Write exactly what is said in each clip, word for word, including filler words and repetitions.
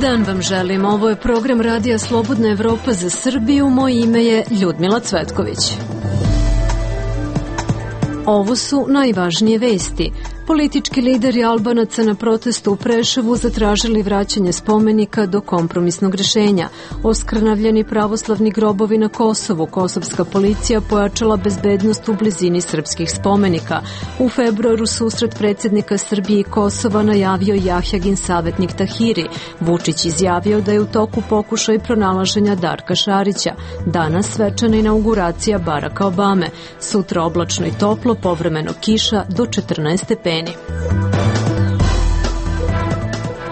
dan vam želim. Ovo je program Radija Slobodna Evropa za Srbiju. Moje ime je Ljudmila Cvetković. Ovo su najvažnije vesti. Politički lideri Albanaca na protestu u Preševu zatražili vraćanje spomenika do kompromisnog rešenja. Oskrnavljeni pravoslavni grobovi na Kosovu. Kosovska policija pojačala bezbednost u blizini srpskih spomenika. U februaru susret predsjednika Srbije i Kosova najavio Jahjagin savjetnik Tahiri. Vučić izjavio da je u toku pokušaj pronalaženja Darka Šarića. Danas svečana inauguracija Baracka Obame. Sutra oblačno i toplo, povremeno kiša do četrnaest stepeni.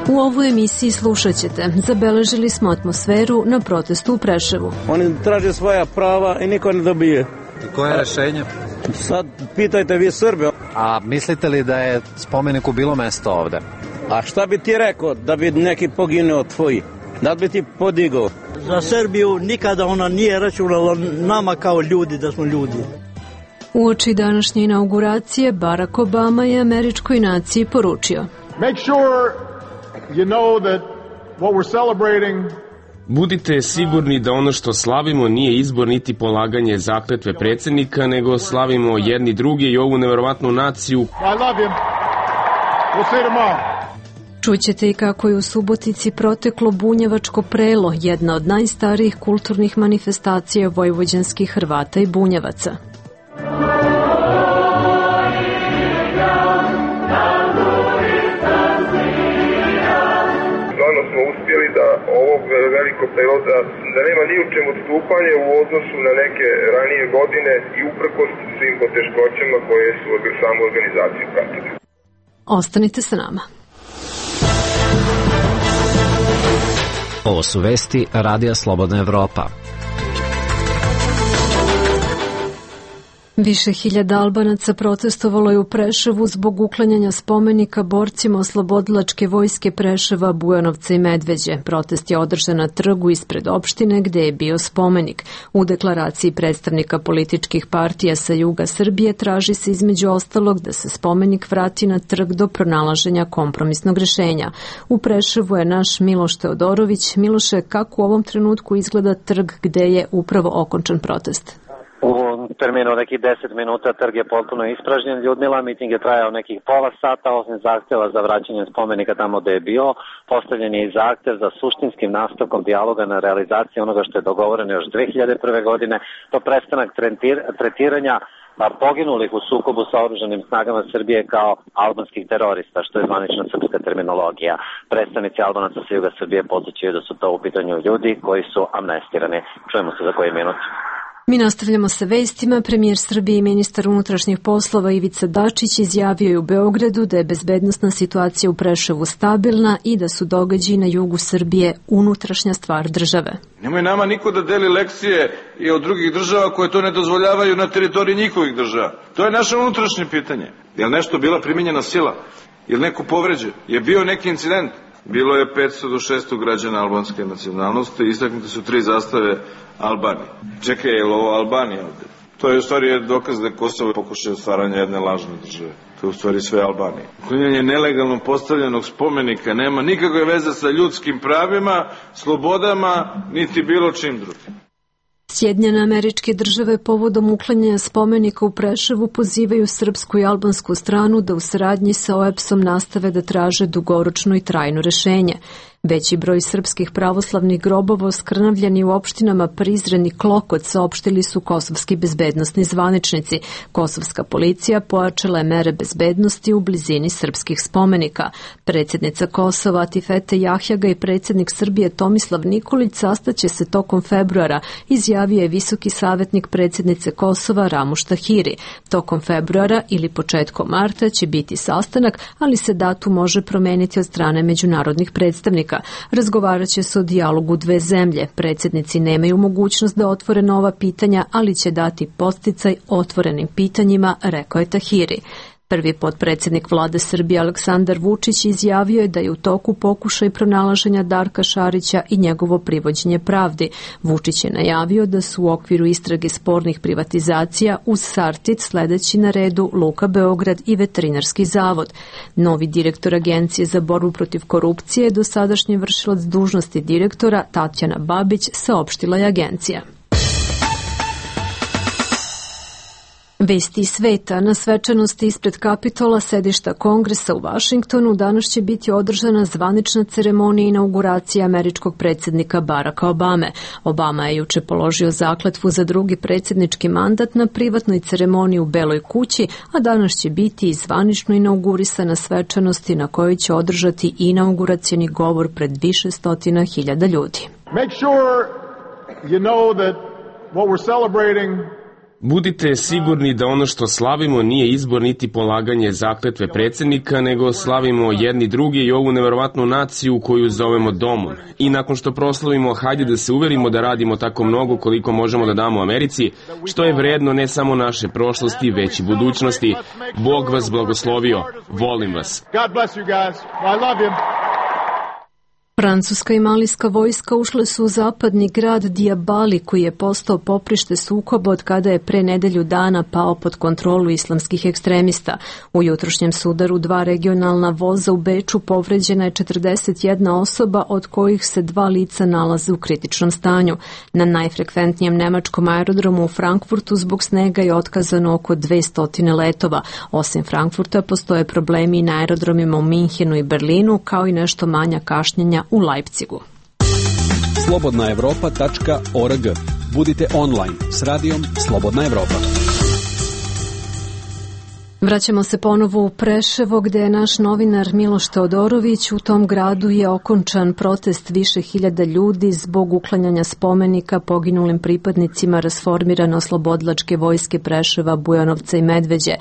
U ovoj emisiji slušat ćete. Zabeležili smo atmosferu na protestu u Preševu. Oni traže svoja prava i niko ne dobije. I koje je rešenje? Sad pitajte vi Srbe. A mislite li da je spomeniku bilo mesto ovde? A šta bi ti rekao da bi neki poginuo tvoji? Da bi ti podigao? Za Srbiju nikada ona nije računala nama kao ljudi da smo ljudi. Uoči današnje inauguracije, Barack Obama je američkoj naciji poručio: Make sure you know that what we're celebrating. Budite sigurni da ono što slavimo nije izbor niti polaganje zakletve predsjednika, nego slavimo jedni druge i ovu neverovatnu naciju. I love you. We'll see tomorrow. Čućete i kako je u Subotici proteklo bunjevačko prelo, jedna od najstarijih kulturnih manifestacija vojvođanskih Hrvata i bunjevaca. Smo uspjeli da ovog velikog prevoza, da nema ni u čemu odstupanje u odnosu na neke ranije godine i uprkos svim poteškoćama koje su samu organizaciju pratile. Ostanite sa nama. Ovo su vesti Radija Slobodna Evropa. Više hiljada Albanaca protestovalo je u Preševu zbog uklanjanja spomenika borcima oslobodilačke vojske Preševa, Bujanovca i Medveđe. Protest je održan na trgu ispred opštine gde je bio spomenik. U deklaraciji predstavnika političkih partija sa juga Srbije traži se između ostalog da se spomenik vrati na trg do pronalaženja kompromisnog rešenja. U Preševu je naš Miloš Teodorović. Miloše, kako u ovom trenutku izgleda trg gde je upravo okončan protest? U terminu nekih deset minuta trg je potpuno ispražnjen. Ljudmila, miting je trajao nekih pola sata, osim zahtjeva za vraćanje spomenika tamo gde je bio. Postavljen je i zahtjev za suštinskim nastavkom dijaloga na realizaciji onoga što je dogovoreno još dve hiljade prve. godine, to prestanak tretiranja poginulih u sukobu sa oružanim snagama Srbije kao albanskih terorista, što je zvanična srpska terminologija. Predstavnici Albanaca sa juga Srbije podsjećaju da su to u pitanju ljudi koji su amnestirani. Čujemo se za koji minut. Mi nastavljamo sa vestima. Premijer Srbije i ministar unutrašnjih poslova Ivica Dačić izjavio je u Beogradu da je bezbednosna situacija u Preševu stabilna i da su događaji na jugu Srbije unutrašnja stvar države. Nemoj nama niko da deli lekcije i od drugih država koje to ne dozvoljavaju na teritoriji njihovih država. To je naše unutrašnje pitanje. Je li nešto bila primijenjena sila? Je li neko povređen? Je bio neki incident? Bilo je petsto do šesto građana albanske nacionalnosti, istaknute su tri zastave Albanije. Čekaj, je li ovo Albanija ovde? To je u stvari dokaz da je Kosovo pokušao stvaranje jedne lažne države. To je u stvari sve Albanije. Uklanjanje nelegalno postavljenog spomenika nema nikakve veze sa ljudskim pravima, slobodama, niti bilo čim drugim. Sjedinjene Američke Države povodom uklanjanja spomenika u Preševu pozivaju srpsku i albansku stranu da u saradnji sa O E P S-om nastave da traže dugoročno i trajno rešenje. Veći broj srpskih pravoslavnih grobova oskrnavljeni u opštinama Prizren i Klokot saopštili su kosovski bezbednosni zvaničnici. Kosovska policija pojačala je mere bezbednosti u blizini srpskih spomenika. Predsjednica Kosova Atifete Jahjaga i predsjednik Srbije Tomislav Nikolić sastaće se tokom februara, izjavio je visoki savjetnik predsjednice Kosova Ramuš Tahiri. Tokom februara ili početkom marta će biti sastanak, ali se datum može promeniti od strane međunarodnih predstavnika. Razgovarat će se o dijalogu dve zemlje. Predsjednici nemaju mogućnost da otvore nova pitanja, ali će dati podsticaj otvorenim pitanjima, rekao je Tahiri. Prvi potpredsjednik vlade Srbije Aleksandar Vučić izjavio je da je u toku pokušaj pronalaženja Darka Šarića i njegovo privođenje pravdi. Vučić je najavio da su u okviru istrage spornih privatizacija uz Sartid sledeći na redu Luka Beograd i Veterinarski zavod. Novi direktor Agencije za borbu protiv korupcije, dosadašnji vršilac dužnosti direktora Tatjana Babić, saopštila je agencija. Vesti sveta. Na svečanosti ispred Kapitola, sedišta Kongresa u Vašingtonu, danas će biti održana zvanična ceremonija inauguracije američkog predsjednika Baracka Obame. Obama je juče položio zakletvu za drugi predsjednički mandat na privatnoj ceremoniji u Beloj kući, a danas će biti i zvanično inaugurisana svečanosti na kojoj će održati inauguracioni govor pred više stotina hiljada ljudi. Make sure you know that what we're celebrating Budite sigurni da ono što slavimo nije izbor niti polaganje zakletve predsjednika, nego slavimo jedni drugi i ovu neverovatnu naciju koju zovemo domom. I nakon što proslavimo, hajde da se uverimo da radimo tako mnogo koliko možemo da damo Americi, što je vredno ne samo naše prošlosti, već i budućnosti. Bog vas blagoslovio. Volim vas. God bless you guys. I love you. Francuska i malijska vojska ušle su u zapadni grad Diabali, koji je postao poprište sukoba od kada je pre nedelju dana pao pod kontrolu islamskih ekstremista. U jutrošnjem sudaru dva regionalna voza u Beču povređena je četrdeset jedna osoba, od kojih se dva lica nalaze u kritičnom stanju. Na najfrekventnijem nemačkom aerodromu u Frankfurtu zbog snega je otkazano oko dvesta letova. Osim Frankfurta postoje problemi i na aerodromima u Minhenu i Berlinu, kao i nešto manja kašnjenja u Leipzigu. slobodna evropa tačka org. Budite online s radijom Slobodna Evropa. Vraćamo se ponovo u Preševo, gde je naš novinar Miloš Teodorović. U tom gradu je okončan protest više hiljada ljudi zbog uklanjanja spomenika poginulim pripadnicima rasformirane oslobodilačke vojske Preševa, Bujanovca i Medveđe.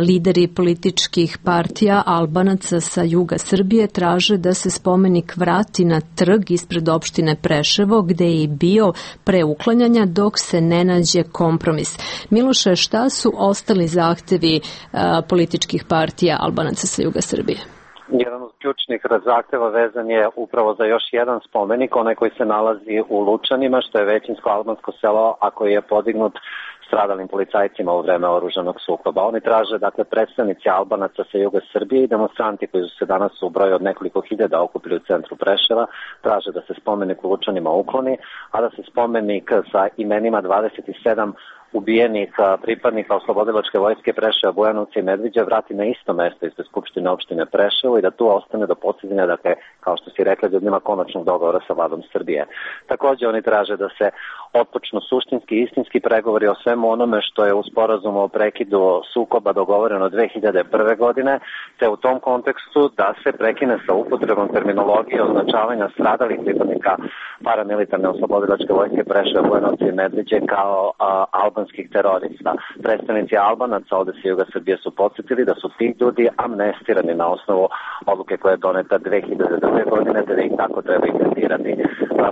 Lideri političkih partija Albanaca sa juga Srbije traže da se spomenik vrati na trg ispred opštine Preševo, gde je i bio pre uklanjanja, dok se ne nađe kompromis. Miloše, šta su ostali zahtevi političkih partija Albanaca sa juga Srbije? Jedan od ključnih zahteva vezan je upravo za još jedan spomenik, onaj koji se nalazi u Lučanima, što je većinsko albansko selo, a koji je podignut stradalim policajcima u vreme oružanog sukoba. Oni traže, dakle, predstavnici Albanaca sa juga Srbije i demonstranti koji su se danas u broju od nekoliko hiljada okupili u centru Preševa, traže da se spomenik u Lučanima ukloni, a da se spomenik sa imenima dvadeset sedam ubijenih pripadnika oslobodilačke vojske Preševa, Bujanovca i Medveđa vrati na isto mesto ispred Skupštine opštine Preševo i da tu ostane do postizanja, dakle, kao što si rekla, ljudima konačnog dogovora sa vladom Srbije. Takođe oni traže da se otpočnu suštinski i istinski pregovori o svemu onome što je u sporazumu o prekidu sukoba dogovoreno dve hiljade prve. godine, te u tom kontekstu da se prekine sa upotrebom terminologije označavanja stradalih pripadnika paramilitarne oslobodilačke vojske Preševa, Bujanovca i Medveđe kao a, albanskih terorista. Predstavnici Albanaca ovde sa juga Srbije su podsjetili da su ti ljudi amnestirani na osnovu odluke koja je doneta dve hiljade druge. godine, te da ih tako treba i tretirati.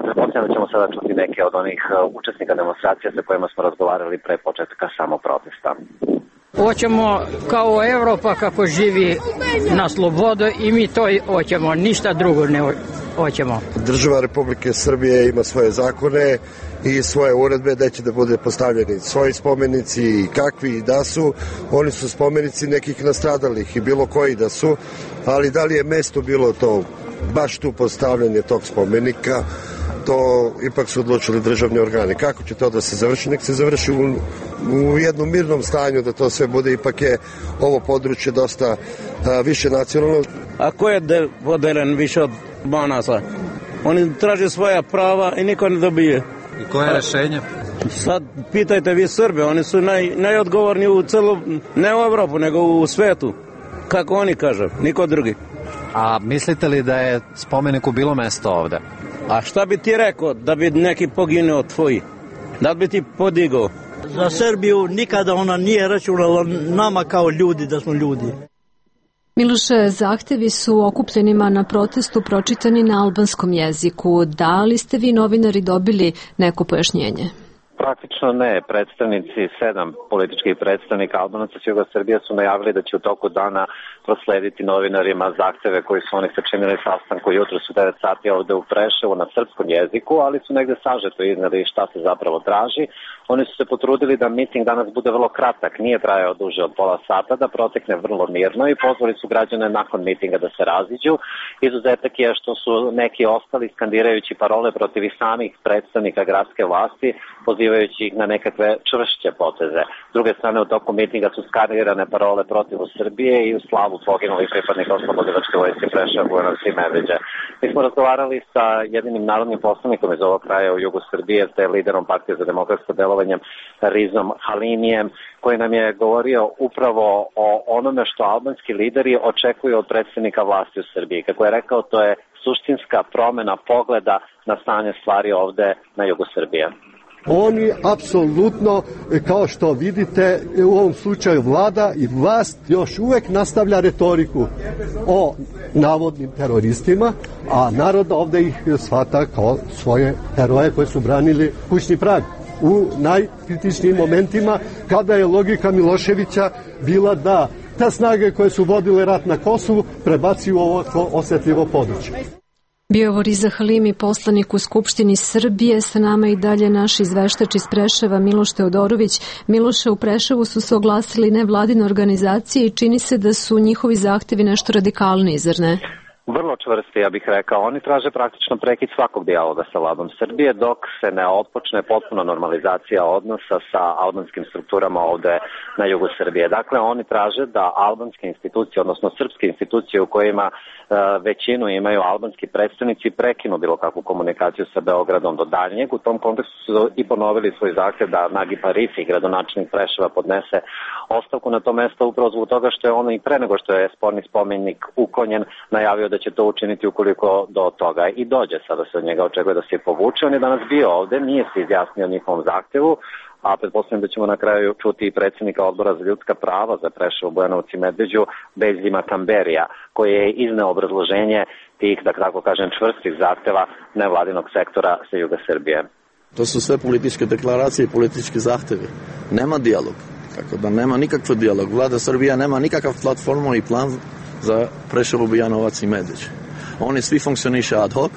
Pretpostavljam da ćemo sada čuti neke od onih učesnika demonstracija sa kojima smo razgovarali pre početka samog protesta. Hoćemo kao Evropa kako živi na slobodu i mi to hoćemo, ništa drugo ne hoćemo. Država Republike Srbije ima svoje zakone i svoje uredbe da će da bude postavljeni svoji spomenici i kakvi i da su. Oni su spomenici nekih nastradalih i bilo koji da su, ali da li je mesto bilo to baš tu postavljanje tog spomenika, to ipak su odlučili državni organi. Kako će to da se završi? Nek se završi u, u jednom mirnom stanju, da to sve bude. Ipak je ovo područje dosta a, više nacionalno. A ko je de, podelen više od Banaca? Oni traže svoja prava i niko ne dobije. I koje je rešenje? Sad pitajte vi Srbe, oni su naj, najodgovorni u celu, ne u Evropu, nego u svetu. Kako oni kažu, niko drugi. A mislite li da je spomeniku bilo mesto ovde? A šta bi ti rekao da bi neki poginuo tvoji? Da bi ti podigao? Za Srbiju nikada ona nije računala nama kao ljudi da smo ljudi. Miloše, zahtevi su okupljenima na protestu pročitani na albanskom jeziku. Da li ste vi novinari dobili neko pojašnjenje? Praktično ne. Predstavnici, sedam političkih predstavnika Albanaca s juga Srbije su najavili da će u toku dana proslediti novinarima zahteve koji su oni sačinili sastanku jutros u devet sati ovde u Preševu na srpskom jeziku, ali su negde sažeto izneli šta se zapravo traži. Oni su se potrudili da miting danas bude vrlo kratak, nije trajao duže od pola sata, da protekne vrlo mirno i pozvali su građane nakon mitinga da se raziđu. Izuzetak je što su neki ostali skandirajući parole protiv i samih predstavnika gradske vlasti, pozivajući ih na nekakve čvršće poteze. S druge strane, u toku mitinga su skandirane parole protiv Srbije i u slavu poginulih pripadnika Oslobodilačke vojske Preševa, Bujanovca i Medveđe. Mi smo razgovarali sa jedinim narodnim poslanikom iz ovog kraja u jugu Srbije, te liderom Partije za demokratsko delovanje Rizom Halimijem, koji nam je govorio upravo o onome što albanski lideri očekuju od predstavnika vlasti u Srbiji. Kako je rekao, to je suštinska promena pogleda na stanje stvari ovde na jugu Srbije. Oni apsolutno, kao što vidite, u ovom slučaju vlada i vlast još uvek nastavlja retoriku o navodnim teroristima, a narod ovde ih shvata kao svoje heroje koje su branili kućni prag u najkritičnijim momentima, kada je logika Miloševića bila da te snage koje su vodile rat na Kosovu prebaci u ovo osetljivo područje. Bio je ovo Riza Halimi, poslanik u Skupštini Srbije, sa nama i dalje naš izveštač iz Preševa Miloš Teodorović. Miloše, u Preševu su se oglasili nevladine organizacije i čini se da su njihovi zahtevi nešto radikalniji, zar ne? Vrlo čvrsti, ja bih rekao. Oni traže praktično prekid svakog dijaloga sa vladom Srbije dok se ne otpočne potpuno normalizacija odnosa sa albanskim strukturama ovde na jugu Srbije. Dakle, oni traže da albanske institucije, odnosno srpske institucije u kojima e, većinu imaju albanski predstavnici, prekinu bilo kakvu komunikaciju sa Beogradom do daljnjeg. U tom kontekstu su i ponovili svoj zahtev da Nagi Parifi, gradonačelnik Preševa, podnese ostavku na to mesto upravo zbog toga što je ono i pre nego što je sporni spomenik uklonjen najavio da će to učiniti ukoliko do toga i dođe. Sada se od njega očekuje da se povuče. On je danas bio ovde, nije se izjasnio o njihovom zahtevu, a pretpostavljam da ćemo na kraju čuti i predsjednika odbora za ljudska prava za Preševo, Bujanovac i Medveđu, Bezima Kamberija, koji je izneo obrazloženje tih, da tako kažem, čvrstih zahteva nevladinog sektora sa juga Srbije. To su sve političke deklaracije i politički zahtevi. Nema dijalog. Tako da nema nikakv dijalog. Vlada Srbija nema nikakav platformu i plan za Preševo, Bujanovac i Medveđ. Oni svi funkcioniše ad hoc,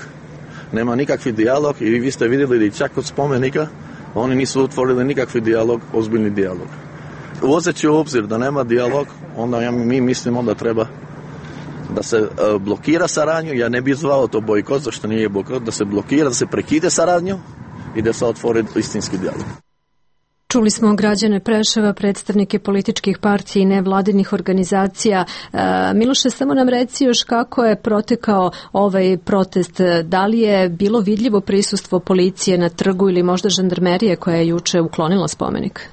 nema nikakvi dijalog i vi ste vidjeli da čak od spomenika oni nisu otvorili nikakvi dijalog, ozbiljni dijalog. Uzeći u obzir da nema dijalog, onda ja, mi mislimo da treba da se uh, blokira saradnju, ja ne bih zvao to bojkot, zašto nije bojkot, da se blokira, da se prekide saradnju i da se otvori istinski dijalog. Čuli smo građane Preševa, predstavnike političkih partija i nevladinih organizacija. Miloše, samo nam reci još kako je protekao ovaj protest. Da li je bilo vidljivo prisustvo policije na trgu ili možda žandarmerije koja je juče uklonila spomenik?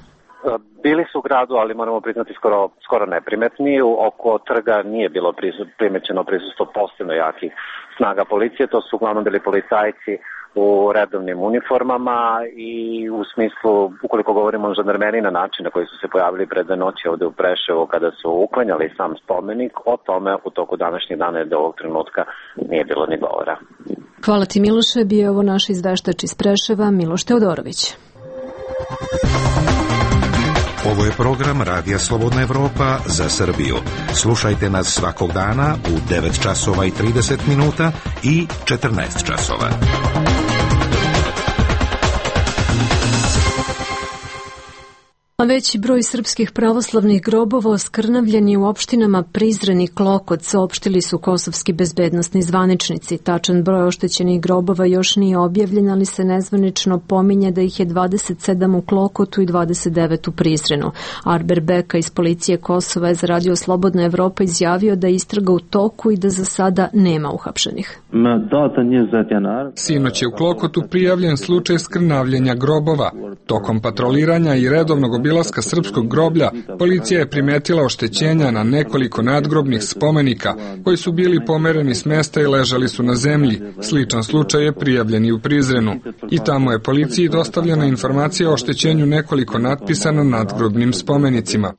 Bili su u gradu, ali moramo priznati skoro, skoro neprimetni. Oko trga nije bilo primećeno prisustvo posebno jakih snaga policije. To su uglavnom bili policajci u redovnim uniformama i u smislu, ukoliko govorimo o žandarmeriji na način na koji su se pojavili pred dve noći ovde u Preševu kada su uklanjali sam spomenik, o tome u toku današnjih dana do ovog trenutka nije bilo ni govora. Hvala ti, Miloše. Bio je ovo naš izveštač iz Preševa, Miloš Teodorović. Ovo je program Radija Slobodna Evropa za Srbiju. Slušajte nas svakog dana u devet časova i trideset minuta i četrnaest časova. A veći broj srpskih pravoslavnih grobova oskrnavljen je u opštinama Prizren i Klokot, saopštili su kosovski bezbednosni zvaničnici. Tačan broj oštećenih grobova još nije objavljen, ali se nezvanično pominje da ih je dvadeset sedam u Klokotu i dvadeset devet u Prizrenu. Arber Beka iz policije Kosova je za Radio Slobodna Evropa izjavio da je istraga u toku i da za sada nema uhapšenih. Sinoć je u Klokotu prijavljen slučaj skrnavljenja grobova. Tokom patroliranja i redovnog obilaska srpskog groblja, policija je primetila oštećenja na nekoliko nadgrobnih spomenika koji su bili pomereni s mesta i ležali su na zemlji. Sličan slučaj je prijavljen i u Prizrenu. I tamo je policiji dostavljena informacija o oštećenju nekoliko natpisa na nadgrobnim spomenicima.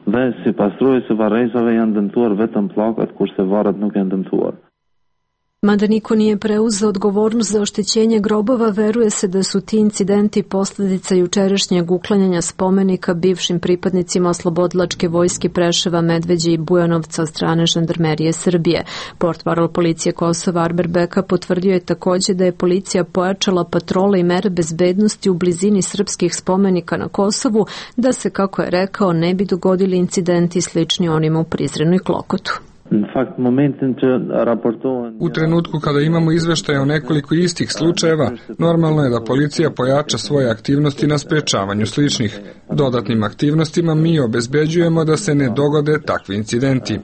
Mada niko nije preuzeo odgovornost za oštećenje grobova, veruje se da su ti incidenti posljedica jučerašnjeg uklanjanja spomenika bivšim pripadnicima oslobodilačke vojske Preševa, Medveđe i Bujanovca od strane žandarmerije Srbije. Portparol policije Kosova Arber Beka potvrdio je također da je policija pojačala patrole i mere bezbednosti u blizini srpskih spomenika na Kosovu, da se, kako je rekao, ne bi dogodili incidenti slični onima u Prizrenu i Klokotu. U trenutku kada imamo izveštaje o nekoliko istih slučajeva, normalno je da policija pojača svoje aktivnosti na sprečavanju sličnih. Dodatnim aktivnostima mi obezbeđujemo da se ne dogode takvi incidenti.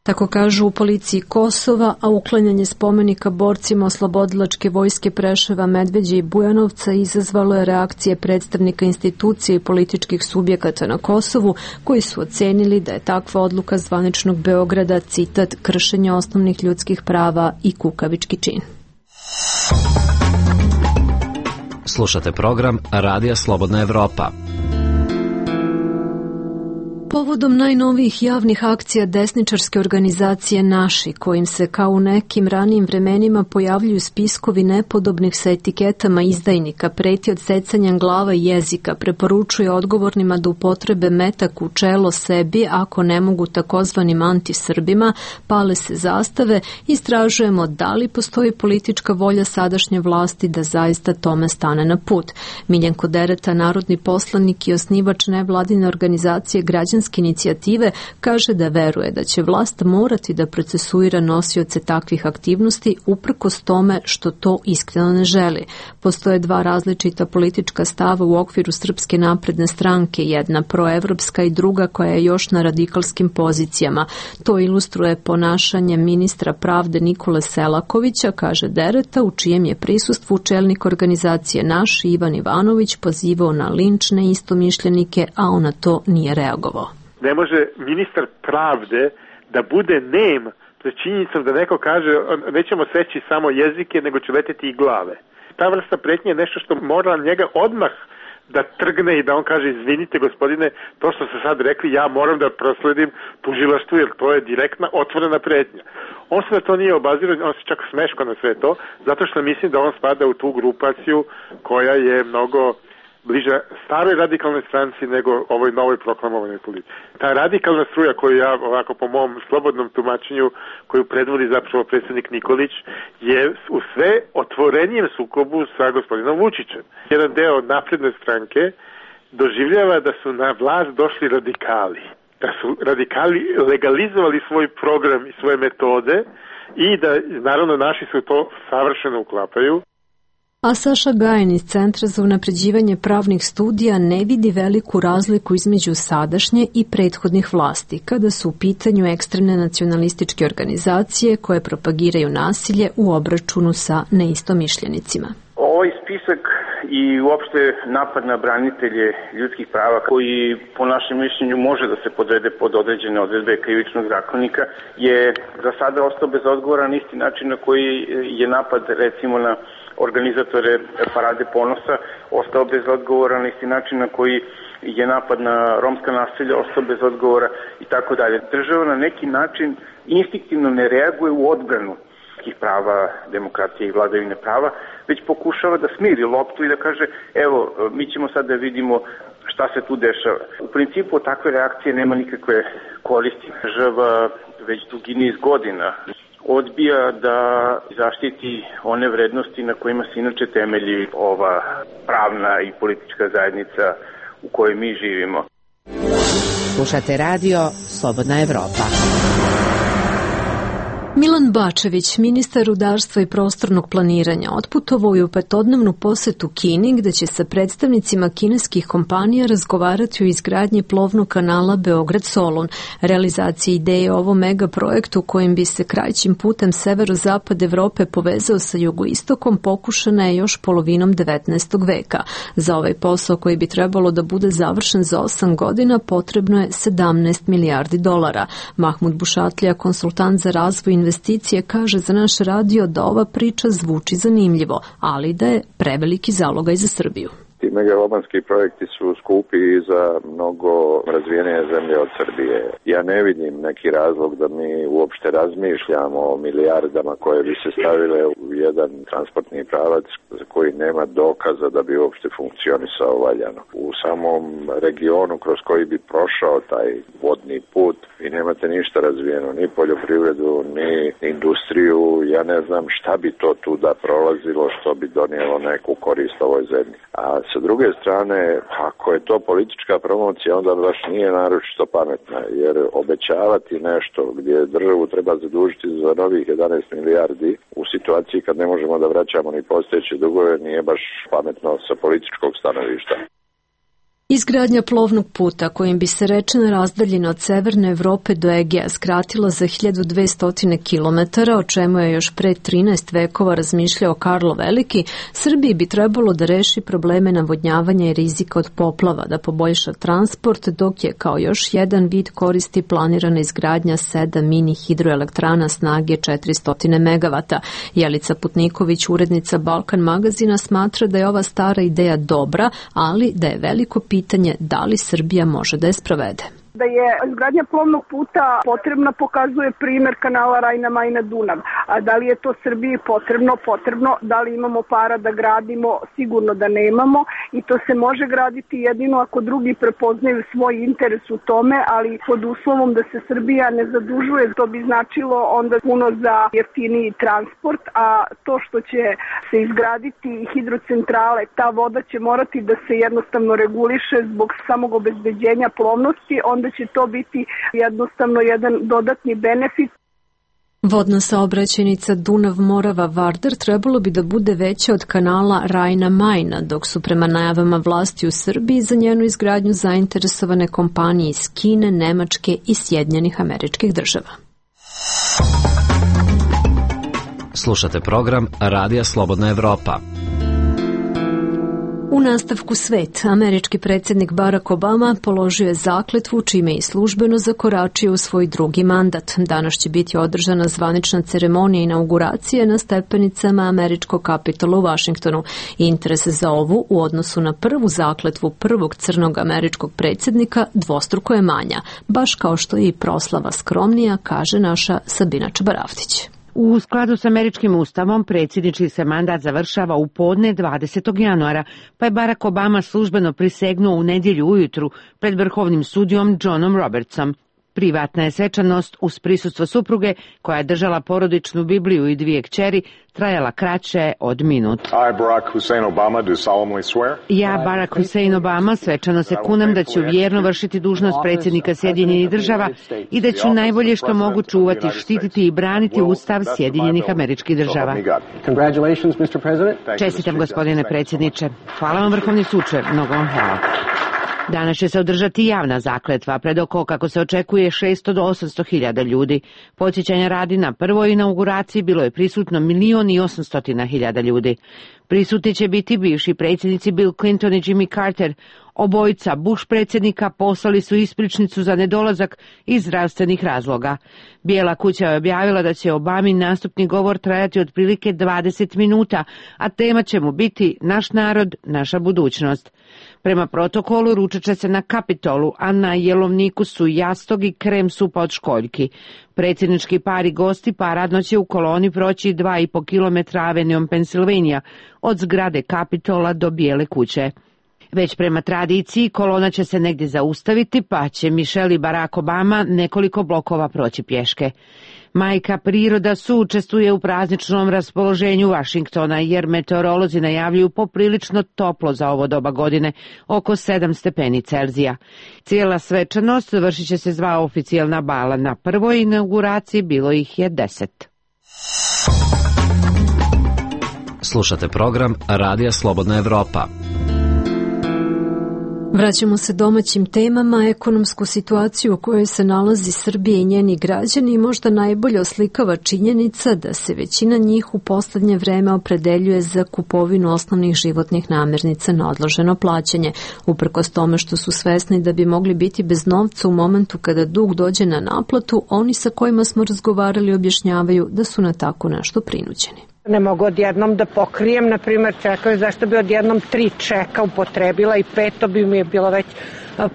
Tako kažu u policiji Kosova, a uklanjanje spomenika borcima oslobodilačke vojske Preševa, Medveđe i Bujanovca izazvalo je reakcije predstavnika institucije i političkih subjekata na Kosovu, koji su ocenili da je takva odluka zvaničnog Beograda, citat, kršenje osnovnih ljudskih prava i kukavički čin. Slušate program Radija Slobodna Evropa. Povodom najnovijih javnih akcija desničarske organizacije Naši, kojim se kao u nekim ranijim vremenima pojavljuju spiskovi nepodobnih sa etiketama izdajnika, preti odsecanja glava i jezika, preporučuje odgovornima da upotrebe metak u čelo sebi, ako ne mogu takozvanim antisrbima, pale se zastave, istražujemo da li postoji politička volja sadašnje vlasti da zaista tome stane na put. Miljenko Dereta, narodni poslanik i osnivač nevladine organizacije Građanske inicijative, kaže da veruje da će vlast morati da procesuira nosioce takvih aktivnosti uprkos tome što to iskreno ne želi. Postoje dva različita politička stava u okviru Srpske napredne stranke, jedna proevropska i druga koja je još na radikalskim pozicijama. To ilustruje ponašanje ministra pravde Nikole Selakovića, kaže Dereta, u čijem je prisustvu čelnik organizacije Naš Ivan Ivanović pozivao na linč neistomišljenike, a on na to nije reagovao. Ne može ministar pravde da bude nem pred činjenicom da neko kaže nećemo seći samo jezike, nego će leteti i glave. Ta vrsta pretnje je nešto što mora njega odmah da trgne i da on kaže izvinite gospodine, to što ste sad rekli ja moram da prosledim tužilaštvu jer to je direktna otvorena pretnja. On se na to nije obazirao, on se čak smeško na sve to, zato što mislim da on spada u tu grupaciju koja je mnogo bliža staroj radikalnoj stranci nego ovoj novoj proklamovanoj politici. Ta radikalna struja koju ja, ovako po mom slobodnom tumačenju, koju predvodi zapravo predsjednik Nikolić, je u sve otvorenijem sukobu sa gospodinom Vučićem. Jedan deo napredne stranke doživljava da su na vlast došli radikali, da su radikali legalizovali svoj program i svoje metode i da, naravno, naši su to savršeno uklapaju. A Saša Gajin iz Centra za unapređivanje pravnih studija ne vidi veliku razliku između sadašnje i prethodnih vlasti, kada su u pitanju ekstremne nacionalističke organizacije koje propagiraju nasilje u obračunu sa neistomišljenicima. Ovaj spisak i uopšte napad na branitelje ljudskih prava, koji po našem mišljenju može da se podvede pod određene odredbe krivičnog zakonika, je za sada ostao bez odgovora na isti način na koji je napad recimo na organizatore Parade ponosa ostao bez odgovora, na isti način na koji je napad na romska naselja ostao bez odgovora i tako dalje. Država na neki način instinktivno ne reaguje u odbranu ljudskih prava, demokratije i vladavine prava, već pokušava da smiri loptu i da kaže evo, mi ćemo sad da vidimo šta se tu dešava. U principu takve reakcije nema nikakve koristi. Država već dugi niz godina odbija da zaštiti one vrednosti na kojima se inače temelji ova pravna i politička zajednica u kojoj mi živimo. Slušate radio Slobodna Evropa. Milan Bačević, ministar rudarstva i prostornog planiranja, otputovao je u petodnevnu posetu Kini, gde će sa predstavnicima kineskih kompanija razgovarati o izgradnji plovnog kanala Beograd-Solun. Realizacija ideje o ovom megaprojektu kojim bi se kraćim putem severozapad Evrope povezao sa jugoistokom pokušana je još polovinom devetnaestog veka. Za ovaj posao koji bi trebalo da bude završen za osam godina potrebno je sedamnaest milijardi dolara. Mahmud Bušatlija, konsultant za razvoj investicije, kaže za naš radio da ova priča zvuči zanimljivo, ali da je preveliki zalogaj za Srbiju. Ti megalomanski projekti su skupi i za mnogo razvijenije zemlje od Srbije. Ja ne vidim neki razlog da mi uopšte razmišljamo o milijardama koje bi se stavile u jedan transportni pravac za koji nema dokaza da bi uopšte funkcionisao valjano. U samom regionu kroz koji bi prošao taj vodni put i nemate ništa razvijeno, ni poljoprivredu, ni industriju. Ja ne znam šta bi to tu da prolazilo, što bi donijelo neku korist ovoj zemlji. A sa druge strane, ako je to politička promocija, onda baš nije naročito pametna, jer obećavati nešto gdje državu treba zadužiti za novih jedanaest milijardi u situaciji kad ne možemo da vraćamo ni postojeće dugove nije baš pametno sa političkog stanovišta. Izgradnja plovnog puta kojim bi se rečna razdaljina od severne Evrope do Egeja skratila za hiljadu dvesta kilometara, o čemu je još pre trinaest vekova razmišljao Karlo Veliki, Srbiji bi trebalo da reši probleme navodnjavanja i rizika od poplava, da poboljša transport, dok je kao još jedan vid koristi planirana izgradnja sedam mini hidroelektrana snage četiristo megavata. Jelica Putniković, urednica Balkan magazina, smatra da je ova stara ideja dobra, ali da je veliko pitanje pitanje da li Srbija može da je sprovede. Da je izgradnja plovnog puta potrebna pokazuje primer kanala Rajna-Majna-Dunav. A da li je to Srbiji potrebno? Potrebno. Da li imamo para da gradimo? Sigurno da nemamo. I to se može graditi jedino ako drugi prepoznaju svoj interes u tome, ali pod uslovom da se Srbija ne zadužuje. To bi značilo onda puno za jeftiniji transport, a to što će se izgraditi hidrocentrale, ta voda će morati da se jednostavno reguliše zbog samog obezbeđenja plovnosti, onda će to biti jednostavno jedan dodatni benefit. Vodna saobraćajnica Dunav-Morava-Vardar trebalo bi da bude veća od kanala Rajna-Majna, dok su prema najavama vlasti u Srbiji za njenu izgradnju zainteresovane kompanije iz Kine, Nemačke i Sjedinjenih Američkih Država. Slušate program Radija Slobodna Evropa. U nastavku svet, američki predsjednik Barack Obama položio je zakletvu čime je službeno zakoračio u svoj drugi mandat. Danas će biti održana zvanična ceremonija inauguracije na stepenicama američkog Kapitola u Vašingtonu. Interes za ovu u odnosu na prvu zakletvu prvog crnog američkog predsjednika dvostruko je manja, baš kao što je i proslava skromnija, kaže naša Sabina Čabaravtić. U skladu s američkim ustavom, predsjednički se mandat završava u podne dvadesetog januara, pa je Barack Obama službeno prisegnuo u nedjelju ujutru pred vrhovnim sudijom Johnom Robertsom. Privatna je svečanost uz prisustvo supruge, koja je držala porodičnu Bibliju i dvije kćeri, trajala kraće od minut. Ja, Barack Hussein Obama, svečano se kunem da ću vjerno vršiti dužnost predsjednika Sjedinjenih Država i da ću najbolje što mogu čuvati, štititi i braniti Ustav Sjedinjenih Američkih Država. Čestitam, gospodine predsjedniče. Hvala vam, vrhovni suče. Mnogo vam hvala. Danas će se održati javna zakletva pred oko, kako se očekuje, šesto do osamsto hiljada ljudi. Podsjećanja radi, na prvoj inauguraciji bilo je prisutno milion i osamstotina hiljada ljudi. Prisutni će biti bivši predsjednici Bill Clinton i Jimmy Carter. Obojica Bush predsjednika poslali su ispričnicu za nedolazak iz zdravstvenih razloga. Bijela kuća je objavila da će Obamin nastupni govor trajati otprilike dvadeset minuta, a tema će mu biti Naš narod, naša budućnost. Prema protokolu ručat će se na Kapitolu, a na jelovniku su jastog i krem supa od školjki. Predsjednički par i gosti paradno će u koloni proći dva i po kilometra Avenijom Pensilvanija, od zgrade Kapitola do Bijele kuće. Već prema tradiciji kolona će se negdje zaustaviti, pa će Michelle i Barack Obama nekoliko blokova proći pješke. Majka priroda suučestvuje u prazničnom raspoloženju Vašingtona, jer meteorolozi najavljuju poprilično toplo za ovo doba godine, oko sedam stepeni Celzija. Cijela svečanost završit će se dva oficijalna bala. Na prvoj inauguraciji bilo ih je deset. Slušate program Radija Slobodna Evropa. Vraćamo se domaćim temama. Ekonomsku situaciju u kojoj se nalazi Srbija i njeni građani možda najbolje oslikava činjenica da se većina njih u poslednje vreme opredeljuje za kupovinu osnovnih životnih namirnica na odloženo plaćanje, uprkos tome što su svesni da bi mogli biti bez novca u momentu kada dug dođe na naplatu. Oni sa kojima smo razgovarali objašnjavaju da su na tako nešto prinuđeni. Ne mogu odjednom da pokrijem, na primjer, čekaju zašto bi odjednom tri čeka upotrebila i peto bi mi je bilo već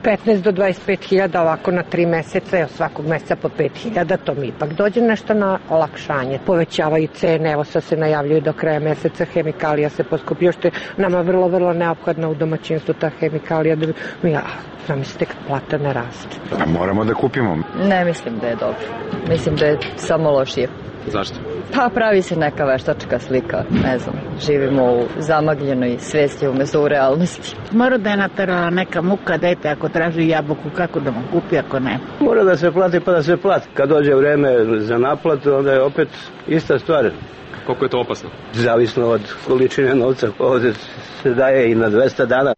petnaest do dvadeset pet hiljada ovako na tri meseca, evo svakog meseca po pet hiljada, to mi ipak dođe nešto na olakšanje. Povećavaju cene, evo sad se najavljuju do kraja meseca, hemikalija se poskupio, što je nama vrlo, vrlo neophodna u domaćinstvu ta hemikalija, da bi mi, ja, zamislite kad plata ne raste. A moramo da kupimo? Ne mislim da je dobro, mislim da je samo lošije. Zašto? Pa pravi se neka veštačka slika, ne znam, živimo u zamagljenoj svesti umesto u realnosti. Mora da je naterala neka muka, dajte ako traži jabuku, kako da mu kupi ako ne. Mora da se plati pa da se plati. Kad dođe vreme za naplatu, onda je opet ista stvar. Koliko je to opasno? Zavisno od količine novca, ovdje se daje i na dvesta dana.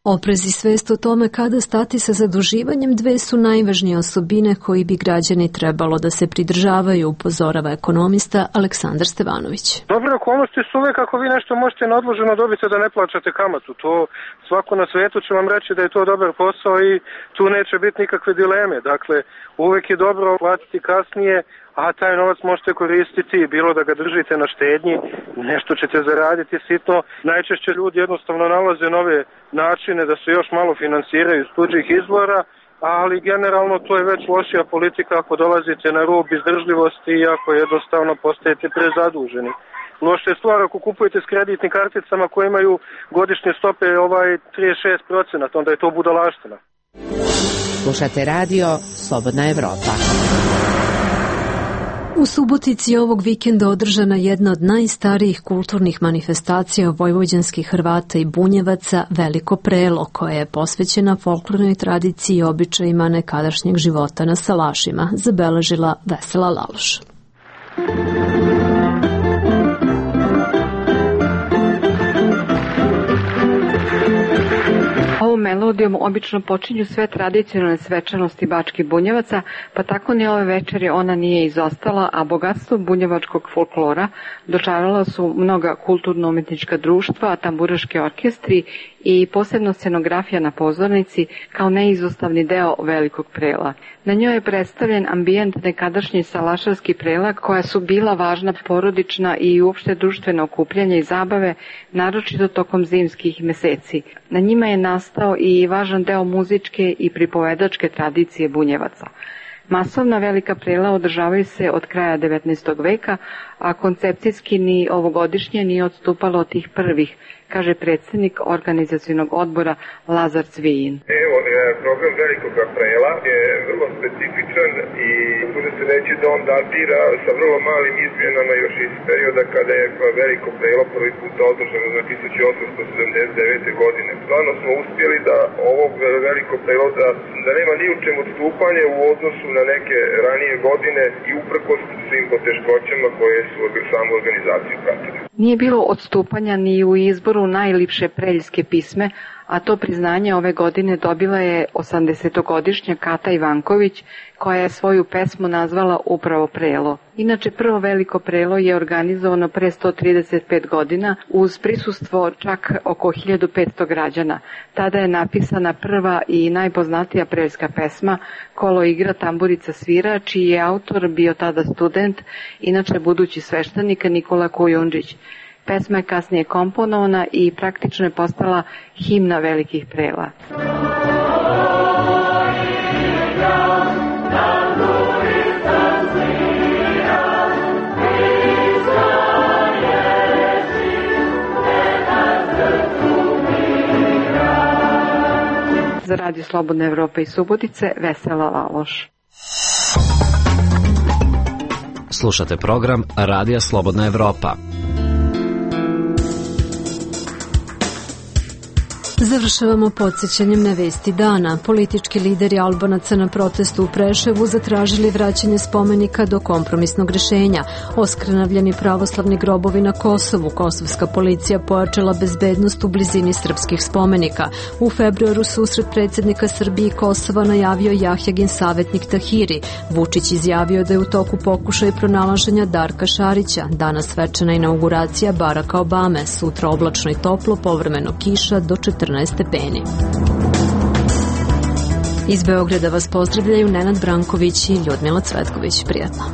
Oprez i svest o tome kada stati sa zaduživanjem dve su najvažnije osobine koji bi građani trebalo da se pridržavaju, upozorava ekonomista Aleksandar Stevanović. Dobre okolnosti su uvek ako vi nešto možete neodloženo dobiti da ne plaćate kamatu. To svako na svetu će vam reći da je to dobar posao i tu neće biti nikakve dileme. Dakle, uvek je dobro platiti kasnije, a taj novac možete koristiti, bilo da ga držite na štednji, nešto ćete zaraditi sitno. Najčešće ljudi jednostavno nalaze nove načine da se još malo finansiraju iz tuđih izvora, ali generalno to je već lošija politika ako dolazite na rub izdržljivosti i ako jednostavno postajete prezaduženi. Loša je stvar ako kupujete s kreditnim karticama koje imaju godišnje stope ovaj trideset šest procenata, onda je to budalaština. Slušate radio Slobodna Evropa. U Subotici ovog vikenda održana jedna od najstarijih kulturnih manifestacija vojvođanskih Hrvata i Bunjevaca, Veliko prelo, koja je posvećena folklornoj tradiciji i običajima nekadašnjeg života na salašima, zabeležila Vesela Laloš. Ovom melodijom obično počinju sve tradicionalne svečanosti bačkih Bunjevaca, pa tako ni ove večeri ona nije izostala, a bogatstvo bunjevačkog folklora dočarala su mnoga kulturno-umetnička društva, tamburaški orkestri i posebno scenografija na pozornici kao neizostavni deo Velikog prela. Na njoj je predstavljen ambijent nekadašnji salašarski prela koja su bila važna porodična i uopšte društveno okupljanje i zabave, naročito tokom zimskih meseci. Na njima je nastao i važan deo muzičke i pripovedačke tradicije Bunjevaca. Masovna velika prela održavaju se od kraja devetnaestog veka, a koncepcijski ni ovogodišnje nije odstupalo od tih prvih, kaže predsjednik organizacionog odbora Lazar Cvijin. Evo, program Velikog prela je vrlo specifičan i bude se reći da on datira sa vrlo malim izmjenama još iz perioda kada je Veliko prelo prvi put održano na tisuću osamsto sedamdeset devete. godine. Stvarno smo uspjeli da ovog Veliko prelo da, da nema ni u čem odstupanje u odnosu na neke ranije godine i uprkos svim poteškoćama koje su samu organizaciju pratili. Nije bilo odstupanja ni u izboru najlipše preljske pisme, a to priznanje ove godine dobila je osamdesetogodišnja Kata Ivanković, koja je svoju pesmu nazvala upravo Prelo. Inače, prvo Veliko prelo je organizovano pre sto trideset pet godina uz prisustvo čak oko hiljadu petsto građana. Tada je napisana prva i najpoznatija preljska pesma Kolo igra, tamburica svira, čiji je autor bio tada student, inače budući sveštenik Nikola Kujundžić. Pesma je kasnije komponovana i praktično je postala himna velikih prela. Za Radio Slobodna Evropa i Subotice, Vesela Laloš. Slušate program Radija Slobodna Evropa. Završavamo podsjećanjem na vesti dana. Politički lideri Albanaca na protestu u Preševu zatražili vraćanje spomenika do kompromisnog rešenja. Oskrnavljeni pravoslavni grobovi na Kosovu. Kosovska policija pojačala bezbednost u blizini srpskih spomenika. U februaru susret predsjednika Srbije i Kosova najavio Jahjagin savjetnik Tahiri. Vučić izjavio da je u toku pokušaj pronalaženja Darka Šarića. Danas svečana inauguracija Baracka Obame. Sutra oblačno i toplo, povremeno kiša do četrnaest stepeni. Iz Beograda vas pozdravljaju Nenad Branković i Ljudmila Cvetković. Prijatno.